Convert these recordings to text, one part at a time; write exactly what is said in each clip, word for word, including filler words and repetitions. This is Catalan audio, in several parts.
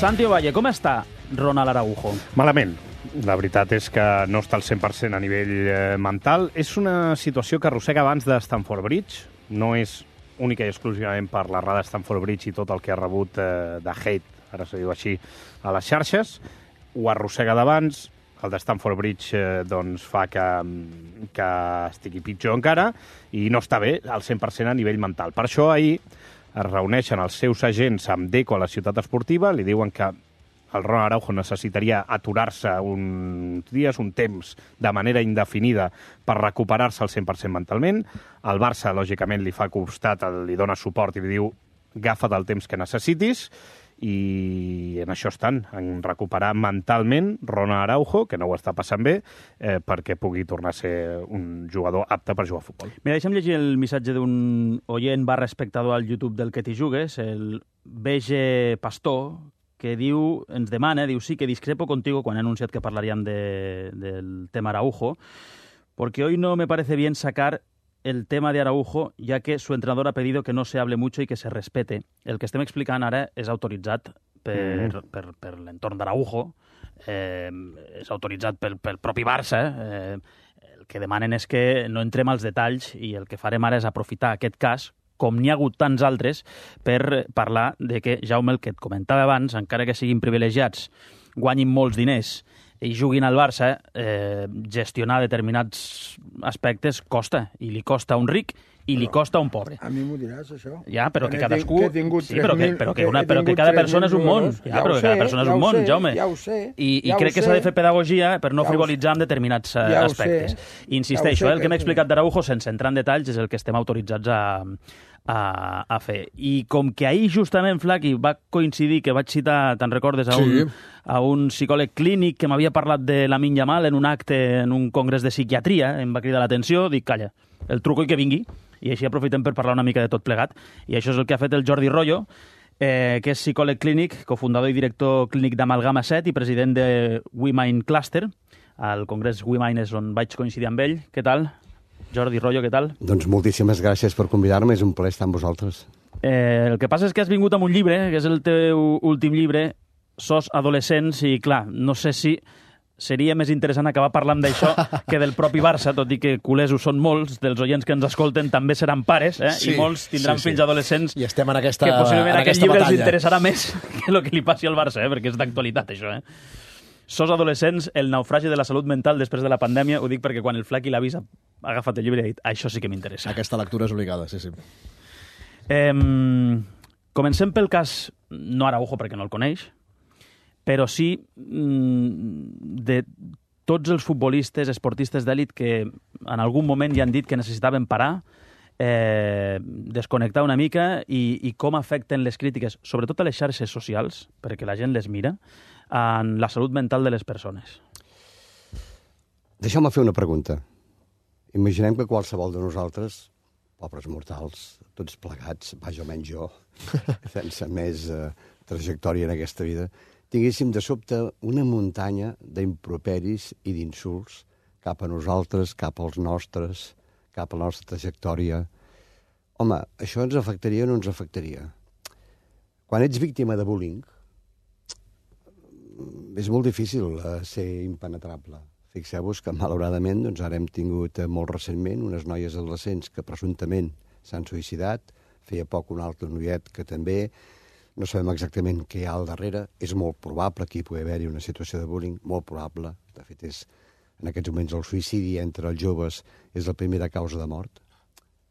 Santi Ovalle, com està Ronald Araujo? Malament. La veritat és que no està al cent per cent a nivell eh, mental. És una situació que arrossega abans de Stamford Bridge. No és única i exclusivament per l'errada de Stamford Bridge i tot el que ha rebut eh, de hate, ara se diu així, a les xarxes. Ho arrossega d'abans. El de Stamford Bridge eh, doncs, fa que, que estigui pitjor encara i no està bé al cent per cent a nivell mental. Per això ahir es reuneixen els seus agents amb Deco a la ciutat esportiva, li diuen que el Ronald Araujo necessitaria aturar-se uns dies, un temps, de manera indefinida per recuperar-se al cent per cent mentalment. El Barça, lògicament, li fa costat, li dona suport i li diu agafa't el temps que necessitis, i en això estan, en recuperar mentalment Ronald Araujo, que no ho està passant bé, eh, perquè pugui tornar a ser un jugador apte per jugar a futbol. Mira, deixa'm llegir el missatge d'un oient barra espectador al YouTube del Que t'hi jugues, el B G Pastor, que diu, ens demana, diu, sí que discrepo contigo quan he anunciat que parlaríem de, del tema Araujo, porque hoy no me parece bien sacar el tema de Araujo, ya que su entrenador ha pedido que no se hable mucho y que se respete. El que estem explicant ara és autoritzat per, mm. per, per l'entorn d'Araujo, eh, és autoritzat pel, pel propi Barça. Eh, el que demanen és que no entrem als detalls i el que farem ara és aprofitar aquest cas, com n'hi ha hagut tants altres, per parlar de que, Jaume, el que et comentava abans, encara que siguin privilegiats, guanyin molts diners i juguin al Barça, eh, gestionar determinats aspectes costa, i li costa a un ric i li costa a un pobre. A mi m'ho diràs, això. Ja, però que, que cadascú... Que he tingut sí, però que, però que, una, però que cada persona és un món. Ja, però que cada persona és un món, Jaume. Ja ho sé. I, i crec que s'ha de fer pedagogia per no frivolitzar amb determinats ja aspectes. Insisteixo, eh, el que m'he explicat d'Araujo, sense entrar en detalls, és el que estem autoritzats a, a, a fer. I com que ahir justament, Flaqui, va coincidir que vaig citar, te'n recordes, a un, sí. a un psicòleg clínic que m'havia parlat de Lamine Yamal en un acte, en un congrés de psiquiatria, em va cridar l'atenció, dic, calla, el truco i que vingui, i així aprofitem per parlar una mica de tot plegat. I això és el que ha fet el Jordi Royo, eh, que és psicòleg clínic, cofundador i director clínic d'Amalgama set i president de WeMind Cluster. Al congrés WeMind és on vaig coincidir amb ell. Què tal? Jordi Royo, què tal? Doncs moltíssimes gràcies per convidar-me, és un plaer estar amb vosaltres. Eh, el que passa és que has vingut amb un llibre, que és el teu últim llibre, Sos adolescents, i clar, no sé si seria més interessant acabar parlant d'això que del propi Barça, tot i que culers ho són molts, dels oients que ens escolten també seran pares, eh? Sí, i molts tindran sí, sí. fills adolescents i estem en aquesta, que possiblement en aquest aquesta llibre batalla. els interessarà més que el que li passi al Barça, eh? Perquè és d'actualitat, això. Eh? Sos adolescents, el naufragi de la salut mental després de la pandèmia, ho dic perquè quan el Flaqui l'ha vist ha agafat el llibre i ha dit, això sí que m'interessa. Aquesta lectura és obligada, sí, sí. Eh, comencem pel cas, no Araujo perquè no el coneix, però sí de tots els futbolistes, esportistes d'èlit que en algun moment ja han dit que necessitaven parar, eh, desconnectar una mica i, i com afecten les crítiques, sobretot a les xarxes socials, perquè la gent les mira, en la salut mental de les persones. Deixeu-me fer una pregunta. Imaginem que qualsevol de nosaltres, pobres mortals, tots plegats, vaja o menys jo, sense més eh, trajectòria en aquesta vida, tinguéssim de sobte una muntanya d'improperis i d'insults cap a nosaltres, cap als nostres, cap a la nostra trajectòria. Home, això ens afectaria o no ens afectaria? Quan ets víctima de bullying, és molt difícil uh, ser impenetrable. Fixeu-vos que, malauradament, doncs, ara hem tingut uh, molt recentment unes noies adolescents que presumptament s'han suïcidat, feia poc un altre noiet que també. No sabem exactament què hi ha al darrere. És molt probable que hi pugui haver-hi una situació de bullying, molt probable. De fet, és, en aquests moments el suïcidi entre els joves és la primera causa de mort.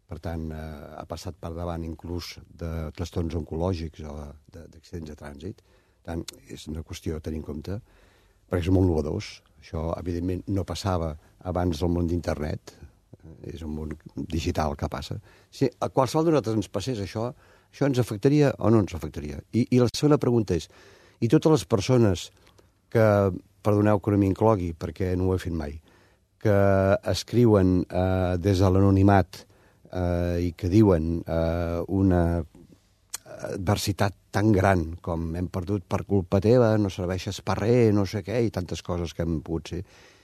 Per tant, eh, ha passat per davant inclús de trastorns oncològics o d'accidents de trànsit. Per tant, és una qüestió a tenir en compte, perquè és molt innovadors. Això, evidentment, no passava abans del món d'internet. És un món digital que passa. Si a qualsevol de nosaltres ens passés això, això ens afectaria o no ens afectaria? I, i la segona pregunta és, i totes les persones que, perdoneu que no m'inclogui, perquè no ho he fet mai, que escriuen eh, des de l'anonimat eh, i que diuen eh, una adversitat tan gran com hem perdut per culpa teva, no serveixes per res, no sé què, i tantes coses que han pogut ser,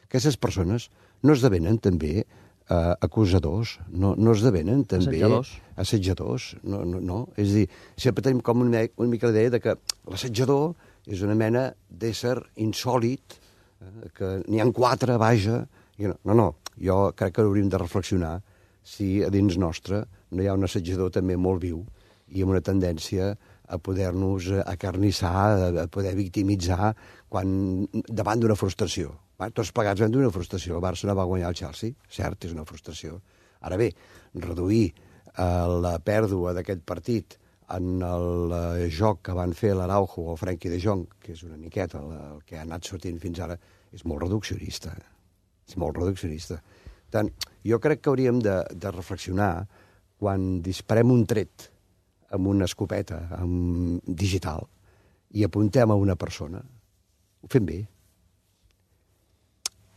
aquestes persones no esdevenen també Uh, acusadors, no, no esdevenen també assetjadors, assetjadors. No, no, no. És a dir, sempre tenim com una, una mica l'idea de que l'assetjador És una mena d'ésser insòlit, eh, que n'hi ha quatre, vaja. I no, no, no, jo crec que hauríem de reflexionar si a dins nostre no hi ha un assajador també molt viu i amb una tendència a poder-nos acarnissar, a poder victimitzar quan, davant d'una frustració. Va, tots plegats vam d'una frustració. El Barça no va guanyar el Chelsea, cert, és una frustració. Ara bé, reduir eh, la pèrdua d'aquest partit en el eh, joc que van fer l'Araujo o el Frenkie de Jong, que és una miqueta el, el que ha anat sortint fins ara, és molt reduccionista. És molt reduccionista. Per tant, jo crec que hauríem de, de reflexionar quan disparem un tret amb una escopeta amb digital i apuntem a una persona. Ho fem bé.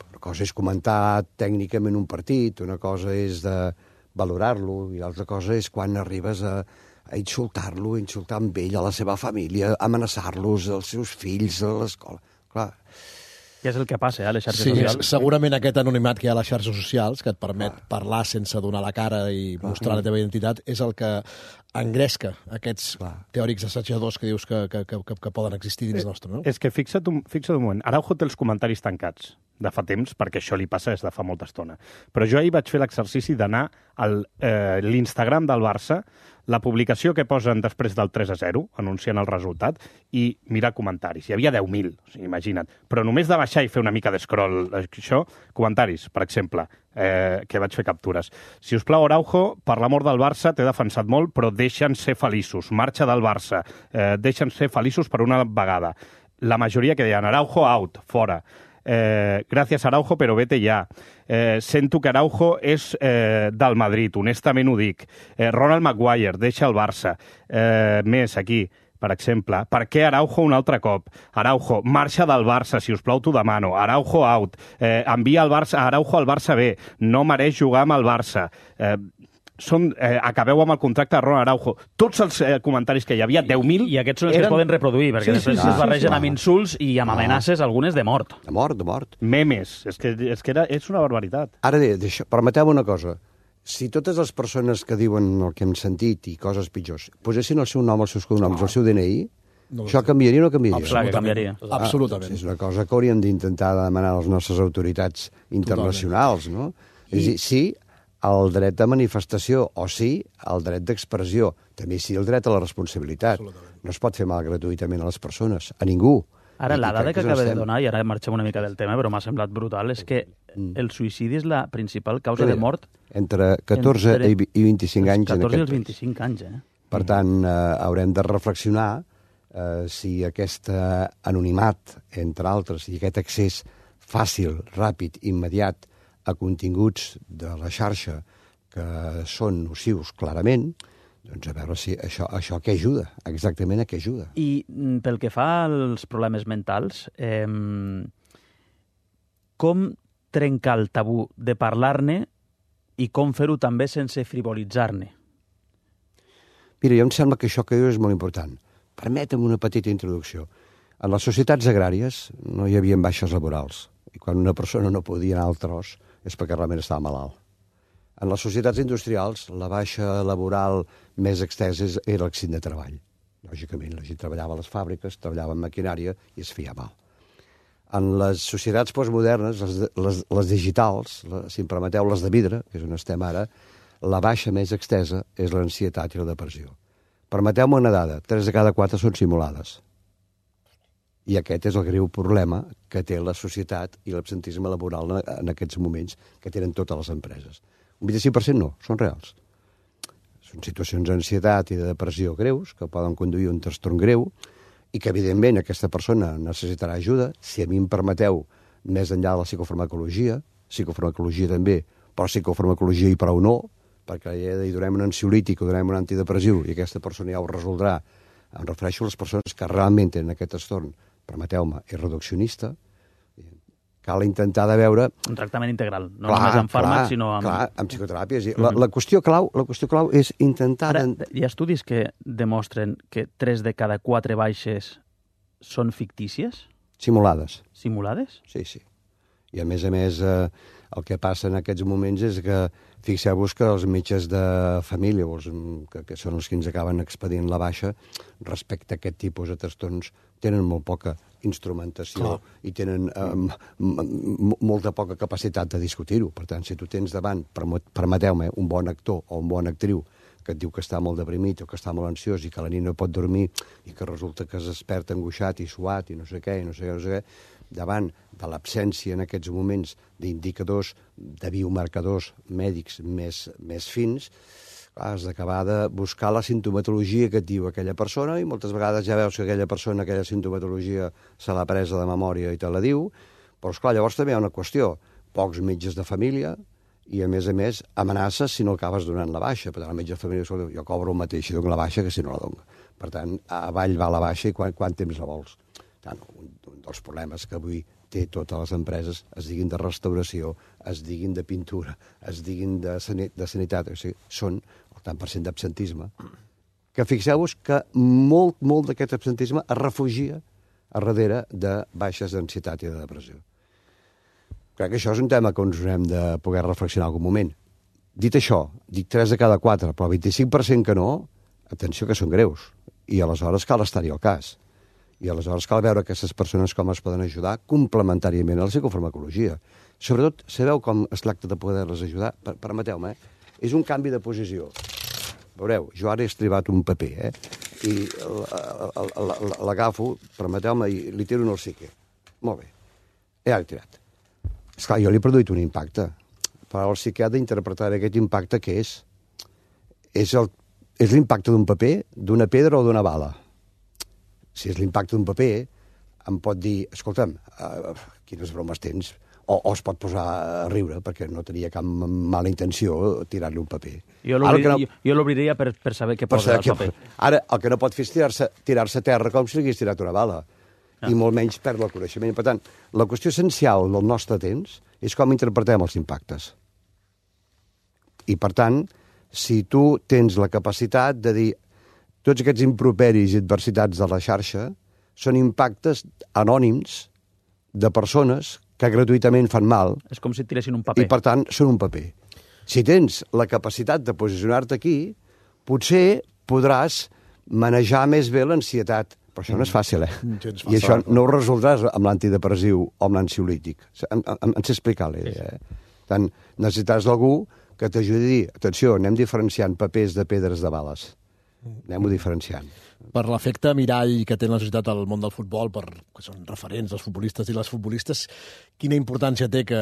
Una cosa és comentar tècnicament un partit, una cosa és de valorar-lo i l'altra cosa és quan arribes a, a insultar-lo, insultar amb ell, a la seva família, amenaçar-los, als seus fills, a l'escola. Clar, que és el que passa, eh, a les xarxes sí, socials. Segurament aquest anonimat que hi ha a les xarxes socials, que et permet Clar. parlar sense donar la cara i Clar. mostrar la teva identitat, és el que engresca aquests Clar. teòrics assajadors que dius que, que, que, que poden existir dins eh, nostre, no? És que fixa't un, fixa't un moment. Araujo té els comentaris tancats de fa temps, perquè això li passa des de fa molta estona. Però jo ahir vaig fer l'exercici d'anar a eh, l'Instagram del Barça, la publicació que posen després del tres a zero, anunciant el resultat, i mirar comentaris. Hi havia deu mil, o sigui, imagina't. Però només de baixar i fer una mica d'escroll, això, comentaris, per exemple, eh, que vaig fer captures. Si us plau, Araujo, per l'amor del Barça, t'he defensat molt, però deixa'ns ser feliços. Marxa del Barça. Eh, deixa'ns ser feliços per una vegada. La majoria que deien Araujo out, fora. Eh, gràcies Araujo, però vete ja. Eh, sento que Araujo és eh, del Madrid, honestament ho dic. Eh, Ronald Maguire, deixa el Barça. Eh, més, aquí, per exemple. Per què Araujo un altre cop? Araujo, marxa del Barça, si us plau t'ho demano. Araujo out. Eh, envia el Barça, Araujo al Barça B. No mereix jugar amb el Barça. Eh, Són, eh, acabeu amb el contracte de Ronald Araujo. Tots els eh, comentaris que hi havia, deu mil... I aquests són els eren... que es poden reproduir, perquè sí, després sí, sí, es barregen sí, sí, amb insults i amb amenaces, ah. algunes de mort. De mort, de mort. Memes. És que, és, que era, és una barbaritat. Ara, permeteu una cosa. Si totes les persones que diuen el que hem sentit i coses pitjors posessin el seu nom, els seus cognoms, oh. el seu D N I, no això canviaria o no canviaria? Absolutament. canviaria. Ah, Absolutament. És una cosa que hauríem d'intentar demanar a les nostres autoritats internacionals, Totalment. no? I... És a dir, sí, el dret de manifestació, o sí, el dret d'expressió. També sí el dret a la responsabilitat. No es pot fer mal gratuïtament a les persones, a ningú. Ara, la dada que, que acaba de donar, i ara marxem una mica del tema, però m'ha semblat brutal, és que el suïcidi és la principal causa de mort... Entre catorze entre... i vint-i-cinc anys. catorze i els vint-i-cinc anys, eh? Per tant, eh, haurem de reflexionar eh, si aquest anonimat, entre altres, i aquest accés fàcil, ràpid, immediat, a continguts de la xarxa que són nocius clarament, doncs a veure si això, això què ajuda, exactament a què ajuda. I pel que fa als problemes mentals, eh, com trencar el tabú de parlar-ne i com fer-ho també sense frivolitzar-ne? Mira, jo em sembla que això que dius és molt important. Permetem una petita introducció. En les societats agràries no hi havia baixes laborals, i quan una persona no podia anar al tros és perquè realment estava malalt. En les societats industrials, la baixa laboral més extesa era l'accident de treball. Lògicament, la gent treballava a les fàbriques, treballava en maquinària i es feia mal. En les societats postmodernes, les, les, les digitals, la, si em permeteu, les de vidre, que és on estem ara, la baixa més extesa és l'ansietat i la depressió. Permeteu-me una dada, tres de cada quatre són simulades. I aquest és el greu problema que té la societat i l'absentisme laboral en aquests moments que tenen totes les empreses. Un vint-i-cinc per cent no, són reals. Són situacions d'ansietat i de depressió greus que poden conduir a un trastorn greu i que, evidentment, aquesta persona necessitarà ajuda. Si a mi em permeteu, més enllà de la psicofarmacologia, psicofarmacologia també, però psicofarmacologia i prou no, perquè ja hi donem un ansiolític o donem un antidepressiu i aquesta persona ja ho resoldrà. Em refereixo a les persones que realment tenen aquest trastorn, permeteu-me, és reduccionista. Cal intentar de veure... Un tractament integral, no clar, només amb fàrmacs, sinó amb... Clar, amb psicoteràpia. La, la, qüestió clau, la qüestió clau és intentar... Ara, hi ha estudis que demostren que tres de cada quatre baixes són fictícies? Simulades. Simulades? Sí, sí. I a més a més, eh, El que passa en aquests moments és que, fixeu-vos que els metges de família, els, que, que són els que ens acaben expedient la baixa, respecte a aquest tipus de trastorns, tenen molt poca instrumentació Clar. i tenen eh, molta poca capacitat de discutir-ho. Per tant, si tu tens davant, permeteu-me, un bon actor o un bon actriu que et diu que està molt deprimit o que està molt ansiós i que la nit no pot dormir i que resulta que es desperta angoixat i suat i no sé què, i no sé què, no sé què, davant de l'absència en aquests moments d'indicadors, de biomarcadors mèdics més, més fins, has d'acabar de buscar la sintomatologia que et diu aquella persona i moltes vegades ja veus que aquella persona, aquella sintomatologia se l'ha presa de memòria i te la diu, però esclar, llavors també hi ha una qüestió, pocs metges de família i, a més a més, amenaces si no acabes donant la baixa. Per tant, el metge de família, jo cobro el mateix si dono la baixa que si no la dono. Per tant, avall va la baixa i quant, quant temps la vols. Tant, un, un dels problemes que avui té totes les empreses, es diguin de restauració, es diguin de pintura, es diguin de, sanit, de sanitat, o sigui, són el tant per cent d'absentisme, que fixeu-vos que molt, molt d'aquest absentisme es refugia a darrere de baixes d'ansietat i de depressió. Crec que això és un tema que ens hem de poder reflexionar en algun moment. Dit això, dic tres de cada quatre, però el vint-i-cinc per cent que no, atenció que són greus, i aleshores cal estar-hi al cas. I aleshores cal veure aquestes persones com es poden ajudar complementàriament a la psicofarmacologia. Sobretot, sabeu com es tracta de poder-les ajudar? Per, permeteu-me, eh? És un canvi de posició. Veureu, jo ara he estribat un paper, eh? I l'agafo, permeteu-me, i li tiro en el psique. Molt bé, ja l'he tirat. Esclar, jo li he produït un impacte, però el psique ha d'interpretar aquest impacte que és. És l'impacte d'un paper, d'una pedra o d'una bala. Si és l'impacte d'un paper, em pot dir, escolta'm, uh, quines bromes tens, o, o es pot posar a riure, perquè no tenia cap mala intenció tirar-li un paper. Jo l'obriria no, per, per saber què posa al paper. Ara, el que no pot fer és tirar-se tirar a terra com si li hagués tirat una bala. Ah. I molt menys perdre el coneixement. Per tant, la qüestió essencial del nostre temps és com interpretem els impactes. I, per tant, si tu tens la capacitat de dir tots aquests improperis i adversitats de la xarxa són impactes anònims de persones que gratuïtament fan mal. És com si tiressin un paper. I, per tant, són un paper. Si tens la capacitat de posicionar-te aquí, potser podràs manejar més bé l'ansietat. Però això no és fàcil, eh? Mm, I això no ho resoldràs amb l'antidepressiu o amb l'ansiolític. Em, em, em sé explicar la idea, eh? Tant, necessitaràs algú que t'ajudi a dir, atenció, anem diferenciant papers de pedres de bales. Anem-ho diferenciant. Per l'efecte mirall que té la societat al món del futbol, per, que són referents els futbolistes i les futbolistes, quina importància té que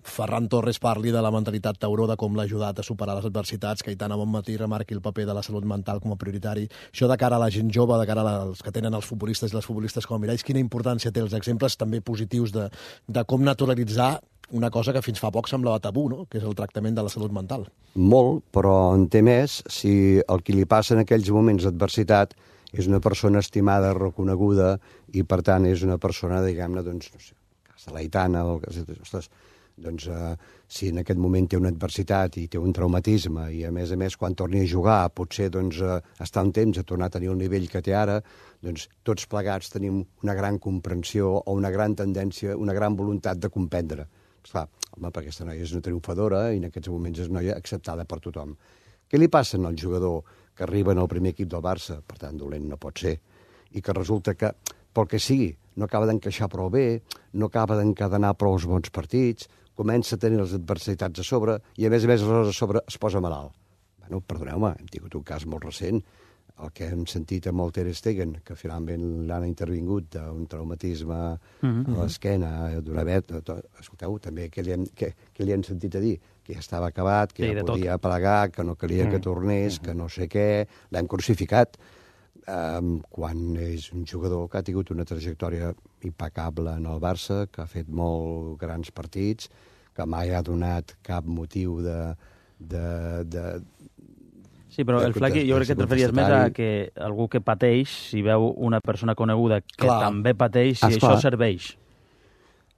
Ferran Torres parli de la mentalitat tauró, de com l'ha ajudat a superar les adversitats, que Aitana Bonmatí remarqui el paper de la salut mental com a prioritari. Això de cara a la gent jove, de cara als que tenen els futbolistes i les futbolistes com a miralls, quina importància té els exemples també positius de, de com naturalitzar una cosa que fins fa poc semblava tabú, no? Que és el tractament de la salut mental. Molt, però en té més si el que li passa en aquells moments d'adversitat és una persona estimada, reconeguda, i per tant és una persona, diguem-ne, doncs, no sé, el cas de l'Aitana, o el cas de... Ostres, doncs, eh, si en aquest moment té una adversitat i té un traumatisme i, a més a més, quan torni a jugar, potser doncs, eh, està un temps a tornar a tenir el nivell que té ara, doncs tots plegats tenim una gran comprensió o una gran tendència, una gran voluntat de comprendre. Esclar, home, perquè aquesta noia és una triomfadora i en aquests moments és una noia acceptada per tothom. Què li passa al jugador que arriba al primer equip del Barça, per tant, dolent no pot ser, i que resulta que, pel que sigui, no acaba d'encaixar prou bé, no acaba d'encadenar prou els bons partits, comença a tenir les adversitats a sobre i, a més a més, a sobre es posa malalt. Bueno, perdoneu-me, hem tingut un cas molt recent, el que hem sentit amb el Ter Stegen, que finalment l'han intervingut d'un traumatisme mm-hmm. a l'esquena, d'una vet... Escolteu, també, què li, hem, què, què li han sentit a dir? Que ja estava acabat, que sí, ja podia tot. plegar, que no calia mm-hmm. que tornés, que no sé què... L'hem crucificat. Um, quan és un jugador que ha tingut una trajectòria impecable en el Barça, que ha fet molt grans partits, que mai ha donat cap motiu de... de, de sí, però de, el Flaqui, jo crec que et referies més a que algú que pateix, si veu una persona coneguda que Clar. també pateix, si Esclar. això serveix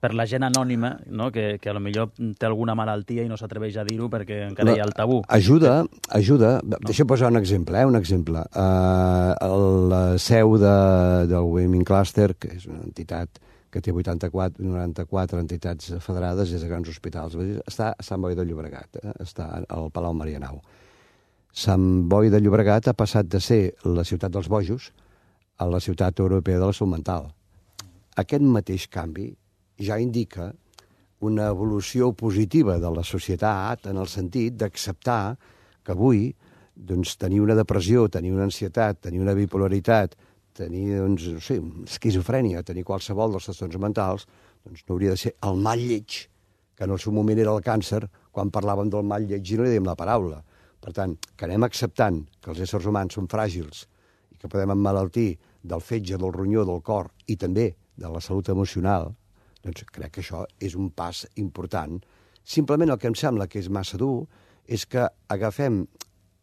per la gent anònima, no? que, que potser té alguna malaltia i no s'atreveix a dir-ho perquè encara la, hi ha el tabú. Ajuda, ajuda. No. Deixa posar un exemple, eh? un exemple. Uh, la seu de, del Women Cluster, que és una entitat que té vuitanta-quatre, noranta-quatre entitats federades des de grans hospitals. Està a Sant Boi de Llobregat, eh? Està al Palau Marianao. Sant Boi de Llobregat ha passat de ser la ciutat dels bojos a la ciutat europea de la salut mental. Aquest mateix canvi ja indica una evolució positiva de la societat en el sentit d'acceptar que avui doncs, tenir una depressió, tenir una ansietat, tenir una bipolaritat, tenir doncs, no sé, esquizofrènia, tenir qualsevol dels trastorns mentals, doncs no hauria de ser el mal lleig, que en el seu moment era el càncer, quan parlàvem del mal lleig i no li dèiem la paraula. Per tant, que anem acceptant que els éssers humans són fràgils i que podem emmalaltir del fetge, del ronyó, del cor i també de la salut emocional, doncs crec que això és un pas important. Simplement el que em sembla que és massa dur és que agafem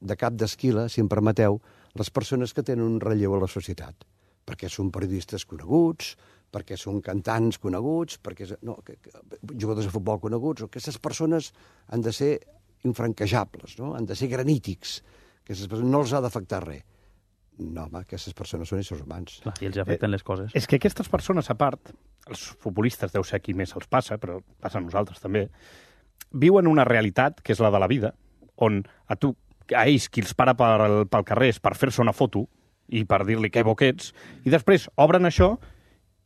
de cap d'esquila, si em permeteu, les persones que tenen un relleu a la societat, perquè són periodistes coneguts, perquè són cantants coneguts, perquè no, que, que, jugadors de futbol coneguts, aquestes persones han de ser infranquejables, no? Han de ser granítics, aquestes persones no els ha d'afectar res. No, home, aquestes persones són éssers humans. Clar, i els afecten eh, les coses. És que aquestes persones, a part, els futbolistes deu ser qui més els passa, però passa a nosaltres també, viuen una realitat, que és la de la vida, on a tu a ells qui els para pel, pel carrer és per fer-se una foto i per dir-li que bo que ets, i després obren això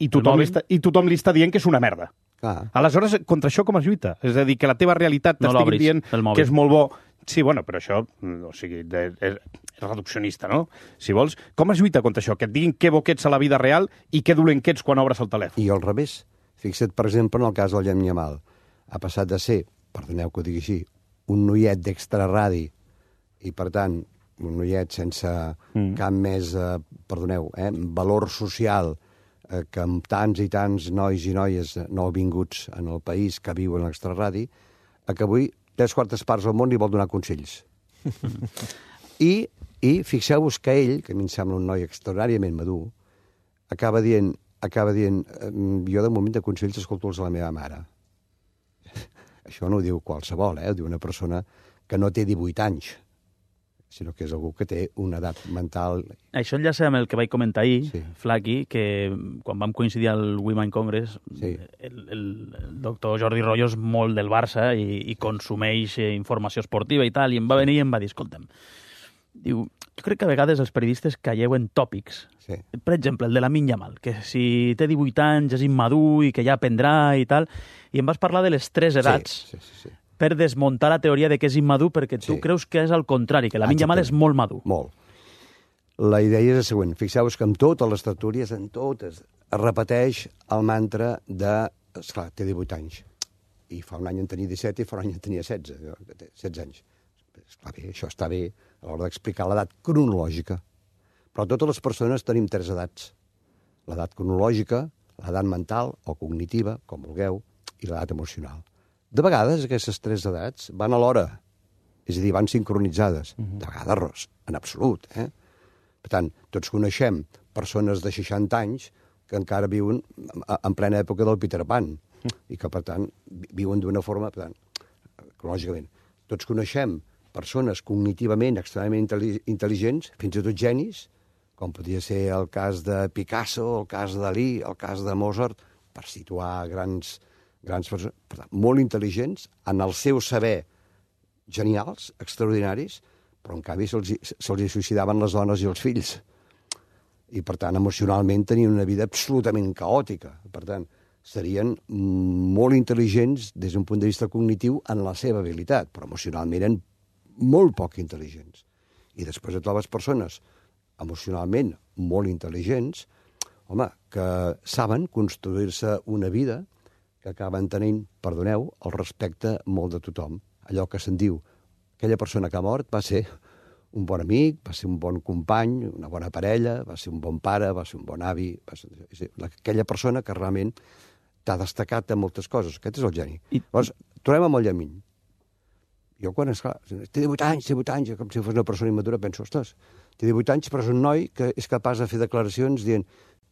i tothom, li està, i tothom li està dient que és una merda. Ah. Aleshores, contra això com es lluita? És a dir, que la teva realitat no t'estigui dient que és molt bo. Sí, bueno, però això, o sigui, de, és, és reduccionista, no? Si vols, com es lluita contra això? Que et diguin que bo que ets a la vida real i que dolent que ets quan obres el telèfon. I al revés. Fixa't, per exemple, en el cas del Llem Yamal. Ha passat de ser, perdoneu que ho digui així, un noiet d'extraradi i, per tant, un noiet sense mm. cap més, eh, perdoneu, eh, valor social eh, que amb tants i tants nois i noies nouvinguts en el país que viuen a l'extraradi, a que avui tres quartes parts del món li vol donar consells. I, i fixeu-vos que ell, que a mi em sembla un noi extraordinàriament madur, acaba dient, acaba dient jo de moment de consells escolto-los a la meva mare. Això no ho diu qualsevol, eh? Ho diu una persona que no té divuit anys, sinó que és algú que té una edat mental... Això enllaça amb el que vaig comentar ahir, sí. Flaqui, que quan vam coincidir al Women Congress, sí. el, el, el doctor Jordi Royo és molt del Barça i, i consumeix informació esportiva i tal, i em va venir i em va dir, escolta'm, diu, jo crec que a vegades els periodistes calleu en tòpics. Sí. Per exemple, el de Lamine Yamal, que si té divuit anys és immadur i que ja aprendrà i tal, i em vas parlar de les tres edats. Sí, sí, sí. sí. Per desmuntar la teoria de que és immadur, perquè tu sí. creus que és al contrari, que Lamine Yamal és molt madur. Molt. La idea és la següent. Fixeu-vos que en totes les tertúlies, en totes, es repeteix el mantra de... Esclar, té divuit anys. I fa un any en tenia disset i fa un any en tenia setze. setze anys. Esclar, bé, això està bé a l'hora d'explicar l'edat cronològica. Però totes les persones tenim tres edats. L'edat cronològica, l'edat mental o cognitiva, com vulgueu, i l'edat emocional. De vegades aquestes tres edats van a l'hora, és a dir, van sincronitzades. Uh-huh. De vegades, en absolut. Eh? Per tant, tots coneixem persones de seixanta anys que encara viuen en plena època del Peter Pan uh-huh. i que, per tant, viuen d'una forma, per tant, lògicament. Tots coneixem persones cognitivament extremadament intel·ligents, fins i tot genis, com podria ser el cas de Picasso, el cas de Dalí, el cas de Mozart, per situar grans... grans persones, per tant, molt intel·ligents, en el seu saber genials, extraordinaris, però en canvi se'ls se suïcidaven les dones i els fills. I, per tant, emocionalment tenien una vida absolutament caòtica. Per tant, serien molt intel·ligents des d'un punt de vista cognitiu en la seva habilitat, però emocionalment eren molt poc intel·ligents. I després et trobes persones emocionalment molt intel·ligents, home, que saben construir-se una vida que acaben tenint, perdoneu, el respecte molt de tothom. Allò que se'n diu, aquella persona que ha mort va ser un bon amic, va ser un bon company, una bona parella, va ser un bon pare, va ser un bon avi, va ser aquella persona que realment t'ha destacat de moltes coses. Aquest és el geni. I... Llavors, tornem amb el Llamín. Jo quan, esclar, té divuit anys, té divuit anys, com si fos una persona immadura, penso, ostres, té divuit anys, però és un noi que és capaç de fer declaracions dient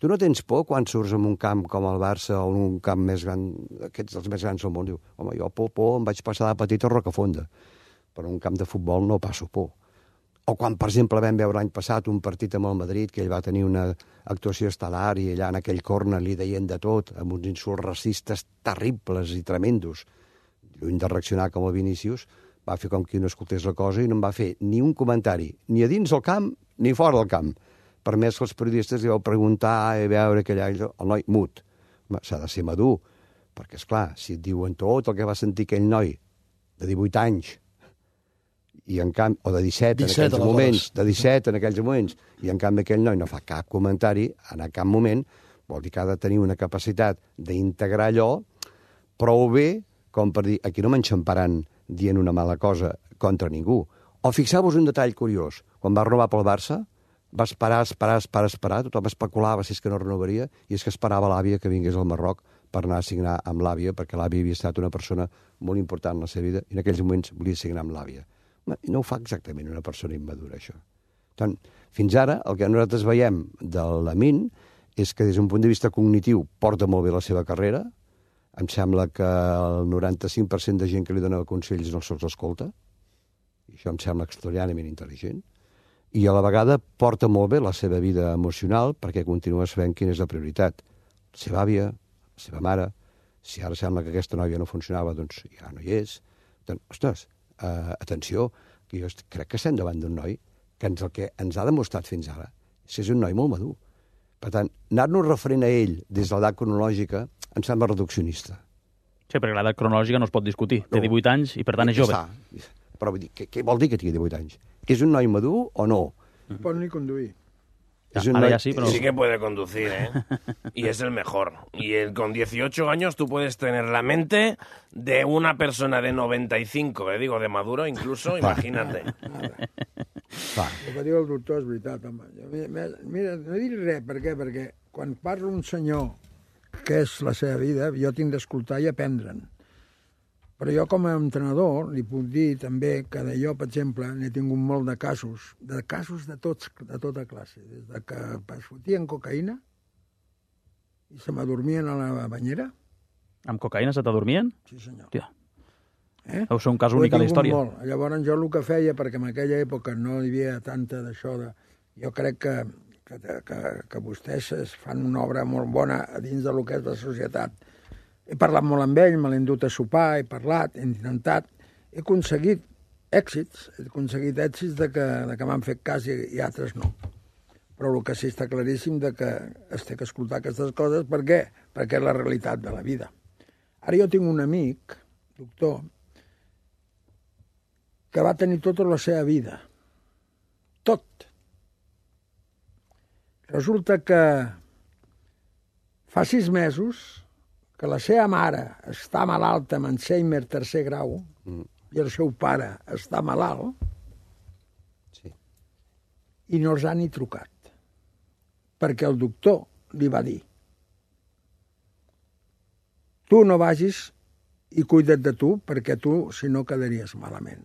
tu no tens por quan surts en un camp com el Barça o en un camp més gran, aquests dels més grans del món? Diu, home, jo por, por, em vaig passar de petit a Rocafonda, però en un camp de futbol no passo por. O quan, per exemple, vam veure l'any passat un partit amb el Madrid, que ell va tenir una actuació estel·lar i allà en aquell corner li deien de tot, amb uns insults racistes terribles i tremendos. Lluny de reaccionar com el Vinícius, va fer com qui no escoltés la cosa i no em va fer ni un comentari, ni a dins del camp ni fora del camp. Per més que els periodistes li vau preguntar i veure que allà el noi mut. S'ha de ser madur, perquè, esclar, si et diuen tot el que va sentir aquell noi de divuit anys, i en canvi, o de disset, disset en aquells moments, de disset en aquells moments, i en canvi aquell noi no fa cap comentari en cap moment, vol dir que ha de tenir una capacitat d'integrar allò prou bé com per dir, aquí no m'enxamparan dient una mala cosa contra ningú. O fixeu-vos un detall curiós, quan va renovar pel Barça, va esperar, esperar, esperar, esperar, tothom especulava si és que no renovaria, i és que esperava l'àvia que vingués al Marroc per anar a signar amb l'àvia, perquè l'àvia havia estat una persona molt important en la seva vida, i en aquells moments volia signar amb l'àvia. No ho fa exactament una persona immadura, això. Tant, fins ara, el que nosaltres veiem de l'Amin és que des d'un punt de vista cognitiu porta molt bé la seva carrera. Em sembla que el noranta-cinc per cent de gent que li dona consells no se'ls escolta, i això em sembla extraordinàriament intel·ligent, i a la vegada porta molt bé la seva vida emocional perquè continua sabent quina és la prioritat. La seva àvia, la seva mare, si ara sembla que aquesta noia no funcionava, doncs ja no hi és. Doncs, ostres, uh, atenció, que jo crec que estem davant d'un noi que ens, el que ens ha demostrat fins ara és que és un noi molt madur. Per tant, anar-nos referent a ell des de l'edat cronològica em sembla reduccionista. Sí, perquè l'edat cronològica no es pot discutir. Té No. divuit anys i, per tant, és jove. Està. Però vull dir, què, què vol dir que tingui divuit anys? És un noi madur o no? Pot ni conduir. Ja, Es un ara noi- ja sí, però... Sí que puede conducir, ¿eh? Y es el mejor. Y el- con dieciocho años tú puedes tener la mente de una persona de noventa y cinco, eh? Digo, de maduro incluso, imagínate. Va. El que diu el doctor és veritat, home. Jo, mira, mira, no dic res, per què? Perquè quan parla un senyor que és la seva vida, jo tinc d'escoltar i aprendre'n. Però jo, com a entrenador, li puc dir també que de jo, per exemple, n'he tingut molt de casos, de casos de, tots, de tota classe, des de que es fotien cocaïna i se m'adormien a la banyera. Amb cocaïna se t'adormien? Sí, senyor. Hòstia, Eh? deu ser un cas Ho he únic a la tingut història. Molt. Llavors jo el que feia, perquè en aquella època no hi havia tanta d'això, de... jo crec que, que, que, que vostès es fan una obra molt bona a dins de lo que és la societat. He parlat molt amb ell, me l'he endut a sopar, he parlat, he intentat, he aconseguit èxits, he aconseguit èxits de que, de que m'han fet cas i, i altres no. Però el que sí està claríssim de que es té que escoltar aquestes coses, per què? Perquè és la realitat de la vida. Ara jo tinc un amic, doctor, que va tenir tota la seva vida. Tot. Resulta que fa sis mesos que la seva mare està malalta amb Alzheimer tercer grau mm. i el seu pare està malalt Sí. i no els ha ni trucat. Perquè el doctor li va dir tu no vagis i cuida't de tu perquè tu, si no, quedaries malament.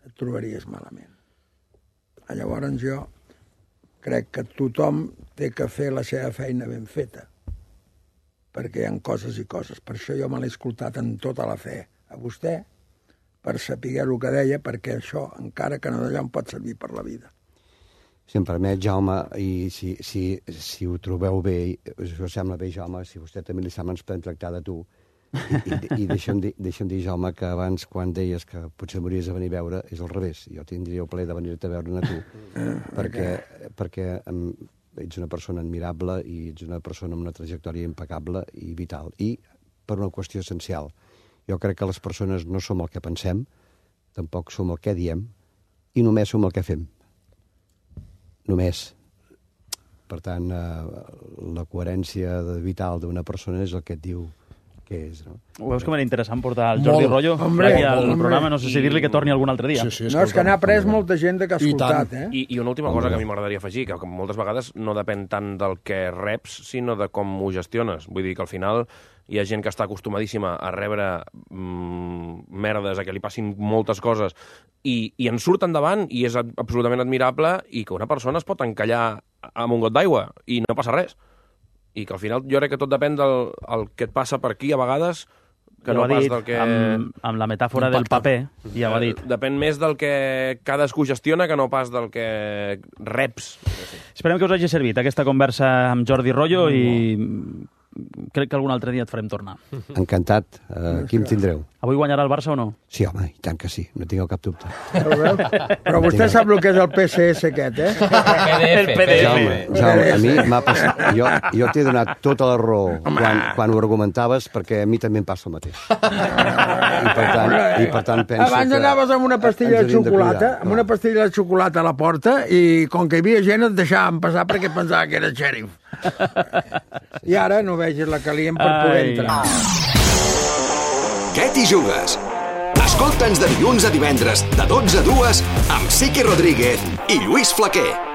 Et trobaries malament. Llavors jo crec que tothom té que fer la seva feina ben feta, perquè hi ha coses i coses. Per això jo me l'he escoltat amb tota la fe a vostè, per saber el que deia, perquè això, encara que no d'allò, em pot servir per la vida. Si em permet, Jaume, i si, si, si ho trobeu bé, si us sembla bé, Jaume, si vostè també li sembla, ens podem tractar de tu. I, i, i deixa'm, dir, deixa'm dir, Jaume, que abans, quan deies que potser m'hauries de venir a veure, és al revés. Jo tindria el plaer de venir-te a veure a tu, perquè, perquè em, ets una persona admirable i ets una persona amb una trajectòria impecable i vital. I per una qüestió essencial. Jo crec que les persones no som el que pensem, tampoc som el que diem, i només som el que fem. Només. Per tant, eh, la coherència vital d'una persona és el que et diu què és, no? Ho veus com era interessant portar el Jordi Molt. Rollo Hombre, aquí al hombre. programa? No sé si dir-li que torni algun altre dia. Sí, sí, No, és que n'ha après escolta'm, molta gent que ha I escoltat, tant. eh? I, I una última cosa que a mi m'agradaria afegir, que moltes vegades no depèn tant del que reps, sinó de com ho gestiones. Vull dir que al final hi ha gent que està acostumadíssima a rebre mm, merdes, a que li passin moltes coses, i, i en surt endavant, i és absolutament admirable, i que una persona es pot encallar amb un got d'aigua, i no passa res. I que al final jo crec que tot depèn del el que et passa per aquí, a vegades que ja no ho ha pas dit, del que... amb, amb la metàfora del paper, ja ho ha dit. Depèn més del que cadascú gestiona que no pas del que reps. Esperem que us hagi servit aquesta conversa amb Jordi Rollo i crec que algun altre dia et farem tornar. Encantat. Uh, aquí em tindreu. Avui guanyarà el Barça o no? Sí, home, i tant que sí. No tingueu cap dubte. Però vostè sap el que és el P C S aquest, eh? El P D F. Jaume, Jaume, a mi m'ha passat... Jo, jo t'he donat tota la raó quan, quan ho argumentaves, perquè a mi també em passa el mateix. I per tant, i per tant penso Abans que... anaves amb una pastilla de xocolata, amb una pastilla de xocolata a la porta, i com que hi havia gent et deixaven passar perquè pensava que era xèrif. I ara no vegis la calient per poder entrar. Què t'hi jugues? Escolta'ns de dilluns a divendres, de dotze a dues, amb Siqui Rodríguez i Lluís Flaquer.